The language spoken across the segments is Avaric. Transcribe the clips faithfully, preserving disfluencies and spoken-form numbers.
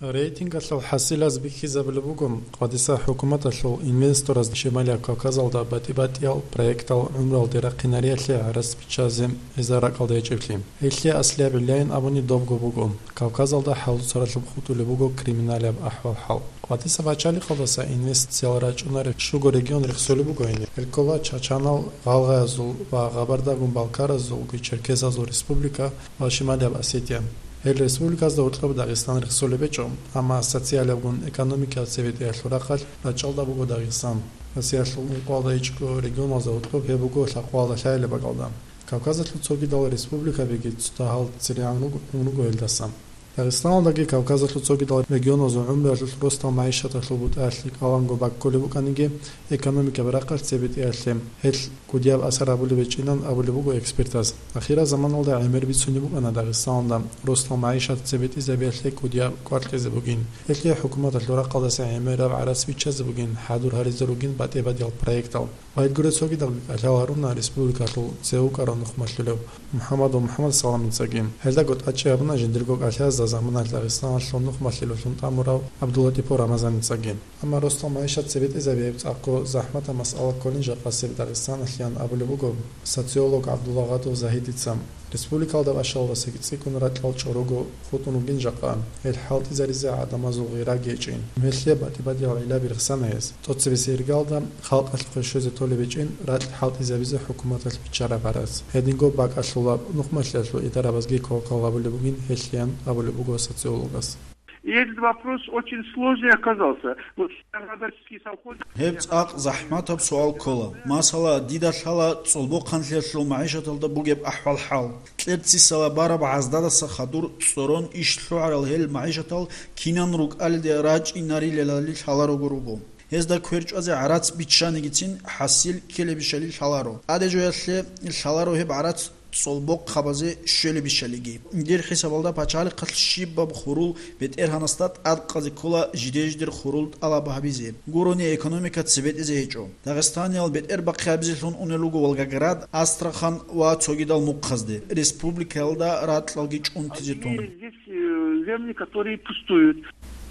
Рейтингалъул хӀасилаз бихьизабулеб буго, къватӀиса хӀукуматалъул инвестораз Шималияб Кавказалда батӀи-батӀиял проектал гӀумруялде рахъинариялъе гӀарац биччазе гьезда ракӀалда гьечӀеблъи. Гьелъие аслияб гӀиллаин абуни добго буго, Кавказалда хӀалуцаралъуб хутӀулеб буго криминалияб ахӀвал-хӀал. КъватӀиса пачалихъалдаса инвестициял рачӀунареб щуго регион рехсолеб буго гьениб. Гьел ккола чачанал, гъалгъаязул ва гъабардагун балкаразулги черкесазул республика ва Шималияб Осетия. Гьел республиказда гьоркьоб Дагъистан рехсолеб гьечӀо, амма социалиябгун экономикиял цебетӀиялъул рахъалъ рачӀалда буго Дагъистан. Россиялъул ункъоялда ичӀго регионалзда гьоркьоб гьеб буго лъакъоялда лъаялеб бакӀалда. Кавказалъул цогидал республикабиги цо дагьал церегӀан руго, ун руго гьелдаса. Дагъистаналдаги Кавказалъул цогидал регионазул гӀумруялъул росдал магӀишаталъул бутӀаялъе кӀаланго баккулеб букӀаниги, экономикаб рахъалъ цебетӀиялъе гьелъ кӀудияб асар гьабулеб гьечӀинан абулеб буго экспертаз. Ахирал заманалда гӀемер бицунеб букӀана Дагъистаналда росдал магӀишат цебетӀизабиялъе кӀудияб кӀвар кьезе бугин. Гьелъие хӀукуматалъул рахъалдаса гӀемераб гӀарац биччазе бугин, хӀадур гьаризе ругин батӀи-батӀиял проектал. Гьедгуреб цогидалги кӀалъал гьаруна республикалъул цевукарав нухмалъулев МухӀаммадов МухӀаммадсаламицаги. Гьелдаго тӀадчӀи гьабуна жиндирго кӀалъазда заманалъ Дагъистаналъул нухмалъулевлъун тӀамурав ГӀабдуллатӀипов Рамазаницаги. Амма росдал магӀишат цебетӀизабияб цӀакъго захӀматаб масъала кколин жакъасеб Дагъистаналъеян абулеб буго социолог ГӀабдулагъадов Загьидица. Республикалда бащалдасаги цӀикӀкӀун ракьал чӀорого хутӀун ругин жакъа, гьел хӀалтӀизаризе гӀадамазул гъираги гьечӀин. Гьелъие батӀи-батӀиял гӀиллаби рехсана гьез. ТӀоцебесеб иргалда халкъалъухъе щвезе толеб гьечӀин ракь хӀалтӀизабизе хӀукуматалъ биччараб гӀарац. Гьединго бакӀалъулаб нухмалъиялъул идарабазги квалквал гьабулеб бугин гьелъеян абулеб буго социологас. И этот вопрос очень сложный оказался. Вот Саравадарский совхоз. Гьеб цӀакъ захӀматаб суал ккола. Масала, дида лъала цӀолбохъанлъиялъул магӀишаталда бугеб ахӀвал-хӀал. Кьерцисала бараб гӀаздадаса хадур цӀорон иш лъугӀарал гьел магӀишатал кинан рукӀалиде рачӀинарилелали лъаларого руго. Гьезда квер чӀвазе гӀарац биччанигицин хӀасил ккелебищали лъаларо. ТӀаде жоялъе лъаларо гьеб гӀарац цӀолбохъабазе щвелебищалиги. Дир хӀисабалда пачалихъалъ щибаб хурул бетӀергьанасда тӀадкъазе ккола жиде-жидер хурул тӀалаб гьабизе. Гурони экономика цебетӀезе гьечӀо. Дагъистаниял бетӀер бахъи гьабизелъун унел руго Волгоград, Астрахань ва цогидал мухъазде, республикаялда ракьалги чӀунтизе тун. Здесь, э, земли, которые пустуют.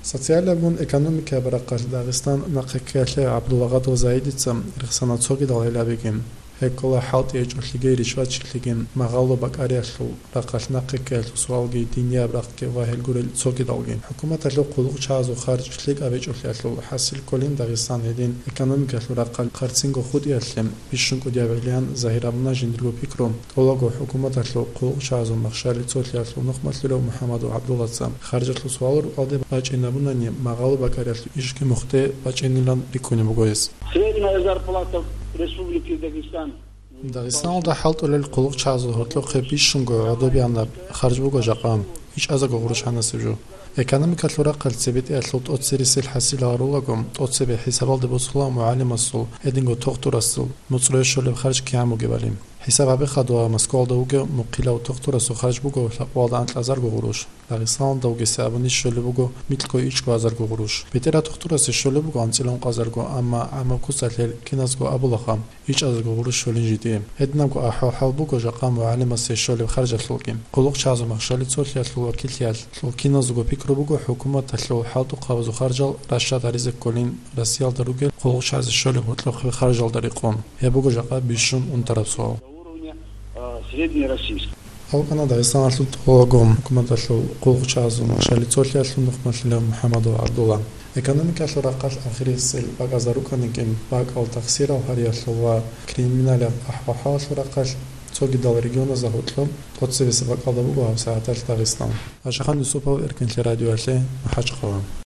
Социалиябгун экономикаяб рахъалъ Дагъистан нахъе ккеялъе ГӀабдулагъадов Загьидица рехсана цогидал гӀиллабиги. Гьеб ккола хӀалтӀи гьечӀолъиги, ришватчилъиги, магъало бакӀариялъул рахъалъ нахъе ккеялъул суалги, динияб рахъги ва гьел гурел цогидалги. ХӀукуматалъул хъулухъчагӀазул харж лъикӀаб гьечӀолъиялъул хӀасил кколин Дагъистан гьедин экономикаялъул рахъалъ хъарцинго хутӀиялъе бищун кӀудияб гӀиллаян загьир гьабуна жиндирго пикру. ТӀолабго хӀукуматалъул хъулухъчагӀазул махщали цолъиялъул нухмалъулев МухӀаммадов ГӀабдуллаца харжалъул суалал рукъалде бачӀинабунани, магъало бакӀариялъул ишги мухъде бачӀинилан рикӀкӀунеб буго гьес. Средняя зарплата в Республике Дагестан. Дагъистаналда хӀалтӀулел хъулухъчагӀазул гьоркьохъе бищунго гӀодобиянаб харж буго жакъа, ичӀазарго гъурущ гьанасеб жо. Экономикалъул рахъалъ цебетӀиялъул тӀоцересел хӀасил гьарулаго, тӀоцебе хӀисабалде босула мугӀалимасул, гьединго тухтурасул, муцӀрое щолеб харж кигӀан бугебали. ХӀисаб гьабе хадуа, Москвалда вугев мухъилав тухтурасул харж буго лъакъоялда анкьазарго гъурущ. Дагъистаналда вугесе абуни щолеб буго микьго ичӀго азарго гъурущ. БетӀераб тухтурасе щолеб буго анцӀила ункъазарго, амма гӀамаб куцалъ гьел киназго абулаха, ичӀазарго гъурущ щолин жидее. Гьединабго ахӀвал-хӀал буго жакъа мугӀалимасе щолеб харжалъулги. ХъулухъчагӀазул махщали цолъиялъул вакиллъиялъул киназго пикру буго хӀукуматалъул хӀалтӀухъабазул харжал рашад гьаризе кколин Россиялда ругел хъулухъчагӀазе щолеб гьоркьохъеб харжалда рекъон. Гьеб буго жакъа бищун унтараб суал. До уровня, э, среднероссийского. АлкӀана Дагъистаналъул тӀолабго хӀукуматалъул хъулухъчагӀазул махщали цолъиялъул нухмалъулев МухӀаммадов ГӀабдулла. Экономикалъул рахъалъ ахирисел бакӀазда рукӀаниги, бакӀал тахсирал гьариялъул ва криминалияб ахӀвал-хӀалалъул рахъалъ цогидал регионазда гьоркьоб тӀоцебесеб бакӀалда буго гьабсагӀаталъ Дагъистан. Ашахан Юсупов, Эркенлъи радиоялъе, МахӀачхъала.